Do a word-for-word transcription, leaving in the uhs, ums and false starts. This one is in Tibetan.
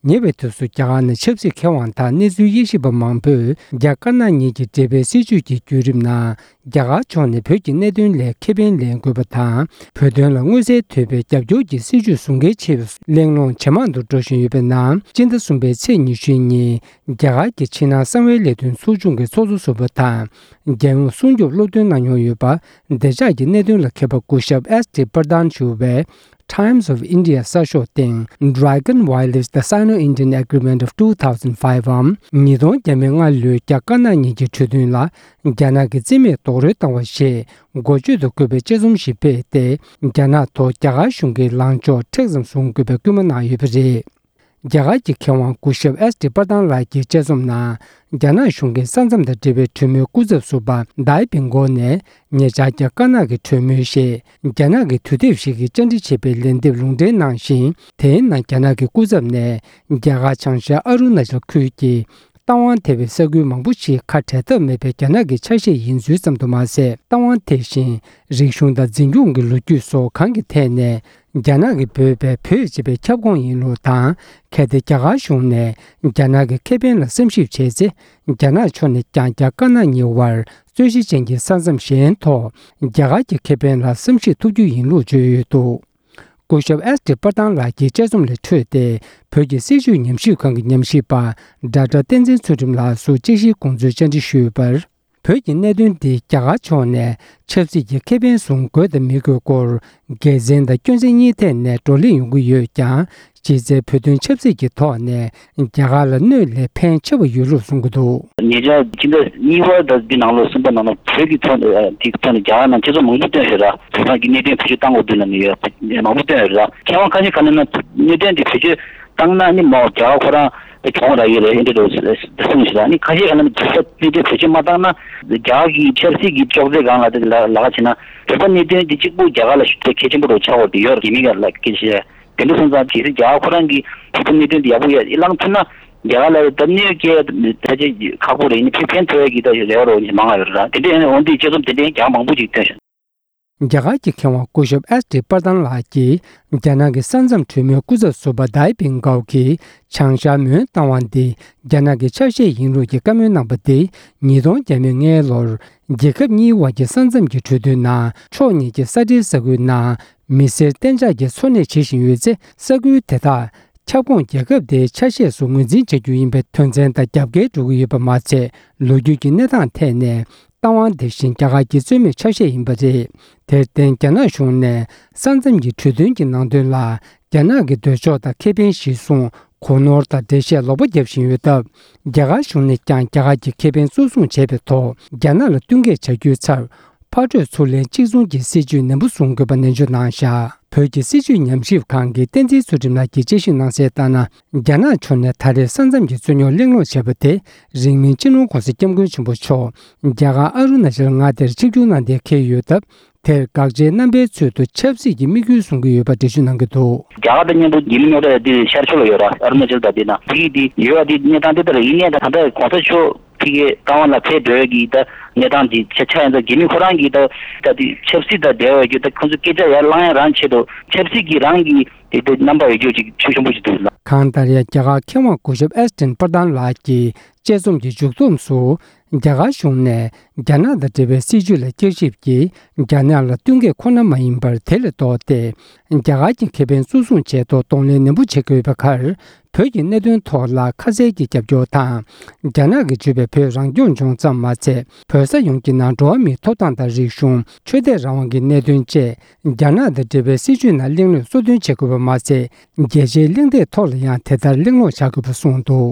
ཉེ་བའི་དུས་སུ་རྒྱ་གར་ནང་ཆབ་སྲིད་མཁས་དབང་དང་གནས་ཚུལ་དབྱེ་ཞིབ་པ་མང་པོས་རྒྱ་དཀར་ནག་གཉིས་ཀྱི་འབྲེལ་བའི་སྲིད་བྱུས་ཀྱི་བརྒྱུད་རིམ་ནང་རྒྱ་གར་ཕྱོགས་ནས་བོད་ཀྱི་གནད་དོན་ལ་ཁེ་ཕན་ལེན་དགོས་པ་དང་། བོད་དོན་ལ་མངོན་གསལ་དོད་པའི་རྒྱབ་སྐྱོར་གྱི་སྲིད་བྱུས་བཟུང་གལ་ཆེ་བའི་གླེང་སློང་ཇེ་མང་དུ་འགྲོ་བཞིན་ཡོད་པའི་ནང་། སྤྱི་ཟླ་གསུམ་པའི་ཚེས་ཉི་ཤུའི་ཉིན་རྒྱ་གར་གྱི་ཕྱི་ནང་གསང་བའི་ལས་དོན་ཚོགས་ཆུང་གི་ཚོགས་གཙོ་ཟུར་པ་དང་། རྒྱལ་ཡོངས་སྲུང་སྐྱོབ་སློབ་སྟོན་གནང་མྱོང་ཡོད་པ། བདེ་འཇགས་ཀྱི་གནད་དོན་ལ་མཁས་པ་སྐུ་ཞབས་ཨེས་ཏི་པར་དཱན་ཞུ་བའི་Times of India གསར་ཤོག་སྟེང་Dragon Wireless: The Sino-Indian Agreement of two thousand five འམ། ཉིས་སྟོང་བརྒྱ་མེད་ལྔ་ལོའི་རྒྱ་དཀར་ནག་གཉིས་ཀྱི་གྲོས་མཐུན་ལ་རྒྱ་ནག་གིས་རྩིས་མེད་རྡོག་རོལ་བཏང་བ་ཞེས་འགོ་བརྗོད་དུ་བཀོད་པའི་དཔྱད་རྩོམ་ཞིག་སྤེལ་ཏེ། རྒྱ་ནག་ཐོག་རྒྱ་གར་གཞུང་གིས་ལངས་ཕྱོགས་མཁྲེགས་ཙམ་བཟུང་དགོས་པའི་སྐུལ་མ་གནང་ཡོད་པ་རེད། རྒྱ་གར་གྱི་མཁས་དབང་སྐུ་ཞབས་ཨེས་ཏི་པར་དཱན་ལགས་ཀྱི་དཔྱད་རྩོམ་ནང་། རྒྱ་ནག་གཞུང་གིས་ས་མཚམས་དང་འབྲེལ་བའི་གྲོས་མོལ་སྐུ་ཚབ་ཟུར་པ་དཱའི་པིན་གོ་ནས། ཉེ་ཆར་རྒྱ་དཀར་ནག་གི་གྲོས་མོལ་ཞེས་རྒྱ་ནག་གི་དུས་དེབ་ཞིག་གིས་བཅར་འདྲི་བྱས་པའི་ལན་འདེབས་ལུང་འདྲེན་གནང་ཞིང་། དེའི་ནང་རྒྱ་ནག་གི་སྐུ་ཚབ་ནས། རྒྱ་གར་བྱང་ཤར་ཨ་རུ་ན་ཅལ་ཁུལ་གྱི་རྟ་དབང་དེ་བའི་ས་ཁུལ་མང་པོ་ཞིག་ཁ་བྲལ་ཐབས་མེད་པའི་རྒྱ་ནག་གི་ཆ་ཤས་ཡིན་ཚུལ་ཙམ་དུ་མ་ཟད། རྟ་དབང་དེ་བཞིན་རིག་གཞུང་དང་འཛིན་སྐྱོང་གི་ལོ་རྒྱུས་སོགས་གང་གི་ཐད་ནས། རྒྱ་ནག་གིས་འབོད་པའི་བོད་ཅེས་པའི་ཁྱབ་ཁོངས་ཡིན་ལུགས་དང་། གལ་ཏེ་རྒྱ་གར་གཞུང་ནས་རྒྱ་ནག་གི་ཁེ་ཕན་ལ་བསམ་ཞིབ་བྱས་ཚེ། རྒྱ་ནག་ཕྱོགས་ནས་ཀྱང་རྒྱ་དཀར་ནག་གཉིས་བར་རྩོད་གཞི་ཅན་གྱི་ས་མཚམས་གཞན་ཐོག་རྒྱ་གར་གྱི་ཁེ་ཕན་ལ་བསམ་ཤེས་ཐུབ་རྒྱུ་ཡིན་ལུགས་བརྗོད་ཡོད་འདུག་སྐུ་ཞབས་ཨེས་ཏི་པར་དཱན་ལགས་ཀྱི་དཔྱད་རྩོམ་ལས་འཕྲོས་ཏེ། བོད་ཀྱི་སྲིད་བྱུས་ཉམས་ཞིབ་ཁང་གི་ཉམས་ཞིབ་པ་ཌོག་ཊར་བསྟན་འཛིན་ཚུལ་ཁྲིམས་ལགས་སུ་དཔྱད་གཞིའི་དགོངས་ཚུལ་བཅར་འདྲི་ཞུས་པར། བོད་ཀྱི་གནད་དོན་འདི་རྒྱ་གར་ཕྱོགས་ནས་ཆབ་སྲིད་ཀྱི་ཁེ་ཕན་བཟུང་དགོས་དང་མི་དགོས་སྐོར། དགེ་མཚན་དང་སྐྱོན་ཚན་གཉིས་ཐད་ནས་བགྲོ་གླེང་ཡོང་གི་ཡོད་ཀྱང་། གཞི་རྩའི་བོད་དོན་ཆབ་སྲིད་ཀྱི་ཐོག་ནས་རྒྱ་གར་ལ་གནོད་ལས་ཕན་ཆེ་བ་ཡོད་ལུགས་གསུང་གི་འདུག་ཉེ་ཆར་ཕྱི་ཟླ་གཉིས་པ་དང་འདི་ནང་ལོ་གསུམ་པ་ནང་ལ་བོད་ཀྱི་ཐོག་ནས་དེའི་ཐོག་ནས་རྒྱ་གར་ནང་སྤྱི་ཚོགས་མང་པོ་བཏོན་ཡོད་ར། བོད་ནང་གི་གནད་དོན་བེད་སྤྱོད་བཏང་དགོས་འདུག་ལབ་ནས་ཡོད་མང་པོ་བཏོན་ཡོད་ར། མཁས་དབང་ཁ་ཤས་ཁ་ནས་ན་གནད་དོན་དེ་བེད་སྤྱོད་བཏང་ན་ནི་མ་རྒྱ་གར་ཁོ་རང་གྱོང་རག་གི་རེད་ཨེ་འདྲ་འདྲ་གསུངས་ཤིག་ལ་ནི་ཁ་ཤས་ཁ་ནས་བོད་པ་གནད་དོན་བེད་སྤྱོད་མ་བཏང་ན་རྒྱ་གར་གྱི་ཆབ་སྲིད་ཀྱི་ཅོག་ཙེ་སྒང་ལ་དེ་ལ་ལ་ཁ་བྱས་ན་བོད་པ་གནད་དོན་དེ་གཅིག་པུ་རྒྱ་གར་ལ་ཞུ་གལ་ཆེན་པོ་རུ་ཆགས་འོག་དེ་ཡོད་རེད་མི་ག་ལ་སྐད་ཆ་དེ་འདྲ་སོང་ཙང་གལ་སྲིད་རྒྱ་གར་ཁོ་རང་གི་བོད་པ་གནད་དོན་དེ་ཡག་པོ་ཡ་བླང་ཐུབ་ན་རྒྱ་གར་ལ་ད་གནོད་སྐྱེལ་ད་ཅི་ཁག་པོ་རེད་ནི་ཕན་ཕན་ཐོགས་ཡ་གི་ད་རེ་བ་རོ་མང་ང་ཡོད་ར་དེ་འདྲ་ཡང་འོན་ཏེ་དཔྱད་རྩོམ་དེ་འདྲ་ཡང་རྒྱ་གར་མང་པོ་ཅིག་བཏོན་ཤག་རྒྱ་གར་གྱི་མཁས་དབང་སྐུ་ཞབས་ཨེས་ཏི་པར་དཱན་ལགས་ཀྱིས་རྒྱ་ནག་གི་ས་མཚམས་གྲོས་མོལ་སྐུ་ཚབ་ཟུར་པ་དཱའི་པིན་གའོ་གིས་བྱང་ཤར་མོན་རྟ་དབང་འདི་རྒྱ་ནག་གི་ཆ་ཤས་ཡིན་ལུགས་ཀྱི་བཀའ་མོལ་གནང་པ་དེ་ཉིས་སྟོང་བརྒྱ་མེད་ལྔའི་ལོར་རྒྱལ་ཁབ་གཉིས་དབར་གྱི་ས་མཚམས་ཀྱི་གྲོས་མཐུན་ནང་ཕྱོགས་གཉིས་ཀྱི་ས་འབྲེལ་ས་ཁུལ་ནང་མི་སེར་གཏན་འཇགས་ཀྱི་འཚོ་གནས་བྱེད་བཞིན་ཡོད་ཚེ་ས་ཁུལ་དེ་དག་ཁྱབ་ཁོངས་རྒྱལ་ཁབ་དེའི་ཆ་ཤས་སུ་ངོས་འཛིན་བྱ་རྒྱུ་ཡིན་པའི་དོན་ཚན་དང་རྒྱབ་འགལ་འགྲོ་གི་ཡོད་པ་མ་ཚད། ལོ་རྒྱུས་ཀྱི་གནས་སྟངས་ཐད་ནས་རྟ་དབང་དེ་བཞིན་རྒྱ་གར་གྱི་རྩོད་མེད་ཆ་ཤས་ཡིན་པ་རེད། དེར་བརྟེན་རྒྱ་ནག་གཞུང་ནས་ས་མཚམས་ཀྱི་གྲོས་མཐུན་གྱི་ནང་དོན་ལ་རྒྱ་ནག་གི་འདོད་ཕྱོགས་དང་ཁེ་ཕན་གཞིར་བཟུང་གོ་ནོར་དང་འགྲེལ་བཤད་ལོག་པ་བརྒྱབ་བཞིན་ཡོད་སྟབས། རྒྱ་གར་གཞུང་ནས་ཀྱང་རྒྱ་གར་གྱི་ཁེ་ཕན་གཙོ་བཟུང་བྱས་པའི་ཐོག་རྒྱ་ནག་ལ་བསྟུན་མཁས་བྱ་རྒྱུའི་ཚབ། ཕར་སྤྲོད་ཚུར་ལེན་གཅིག་མཚུངས་ཀྱི་སྲིད་ཇུས་ནན་པོ་བཟུང་དགོས་པ་ནན་བརྗོད་གནང་བཞག་བོད་ཀྱི་སྲིད་བྱུས་ཉམས་ཞིབ་ཁང་གི་བསྟན་འཛིན་ཚུལ་ཁྲིམས་ལགས་ཀྱིས་དཔྱད་ཞིབ་གནང་གསལ་ལྟར་ན། རྒྱ་ནག་ཕྱོགས་ནས་ད་རེས་ས་མཚམས་ཀྱི་རྩོད་རྙོག་གླེང་སློང་བྱས་པ་དེ་རིང་མིན་སྤྱི་ནོར་༸གོང་ས་༸སྐྱབས་མགོན་ཆེན་པོ་མཆོག་རྒྱ་གར་ཨ་རུ་ན་ཅལ་མངའ་སྡེར་ཆིབས་བསྒྱུར་གནང་གཏན་འཁེལ་ཡོད་སྟབས། དེར་དགག་བྱའི་རྣམ་པའི་ཚུལ་དུ་ཆབ་སྲིད་ཀྱི་དམིགས་ཡུལ་བཟུང་གི་ཡོད་པ་འགྲེལ་བརྗོད་གནང་གི་འདུག་རྒྱ་གར་དང་མཉམ་དུ་རྒྱ་མི་མཉམ་འབྲེལ་དེ་ཤར་ཕྱོགས་ལ་ཡོད་ར་ཨ་རུ་ན་ཅལ་དང་དེ་ན་དེ་གི་དེ་ཡོད་པ་དེ་གནས་སྟངས་དེ་ལྟར་ཡིན་ནའི་ད་ད་ལྟ་གོང་ས་མཆོག་ཕ་གི་རྟ་དབང་ལ་ཕེབས་འགྲོ་ཡ་གི་ད་གནས་སྟངས་འདི་ཆ་ཆ་ཡིན་ཙང་རྒྱ་མི་ཁོ་རང་གི་ད་ད་དེ་ཆབ་སྲིད་དང་འབྲེལ་བའི་རྒྱུ་ད་ཁོང་ཚོ་སྐད་ཆ་ཡར་བླང་ཡ་རང་ཆེད་དུ་ཆབ་སྲིད་ཀྱི་རང་གི་དེ་དེ་རྣམ་པ་ཡོད་རྒྱུ་ཅིག་ཆོད་ཆེན་པོ་ཞིག་འདུག་ལ། གང་ལྟར་ཡང་རྒྱ་གར་མཁས་དབང་སྐུ་ཞབས་ཨེས་ཏིན་པར་དཱན་ལགས་ཀྱི་དཔྱད་རྩོམ་གྱི་མཇུག་བསྡོམས་སུ། རྒྱ་གར་གཞུང་ནས་རྒྱ་ནག་དང་འབྲེལ་བའི་སྲིད་བྱུས་ལ་བསྐྱར་ཞིབ་ཀྱིས་རྒྱ་ནག་ལ་བསྟུན་མཁས་ཁོ་ན་མ་ཡིན་པར་དེ་ལས་ལྡོག་སྟེ། རྒྱ་གར་གྱི་ཁེ་ཕན་གཙོ་བཟུང་བྱས་ཐོག་གདོང་ལེན་ནན་པོ་བྱེད་དགོས་པའི་ཁར། བོད་ཀྱི་གནད་དོན་ཐོག་ལ་ཁ་གསལ་གྱི་རྒྱབ་སྐྱོར་དང་། རྒྱ་ནག་གིས་བརྗོད་པའི་བོད་རང་སྐྱོང་ལྗོངས་ཙམ་མ་ཚད། བོད་ས་ཡོངས་ཀྱི་ནང་འགྲོ་བ་མིའི་ཐོབ་ཐང་དང་རིག་གཞུང་། ཆོས་དད་རང་དབང་གི་གནད་དོན་བཅས། རྒྱ་ནག་དང་འབྲེལ་བའི་སྲིད་བྱུས་ནང་གླེང་སློང་གཙོ་འདོན་བྱེད་དགོས་པ་མ་ཚད། རྒྱལ་སྤྱིའི་གླེང་སྟེགས་ཐོག་ལ་ཡང་དེ་ལྟར་གླེང་སློང་བྱ་དགོས་པ་གསུངས་འདུག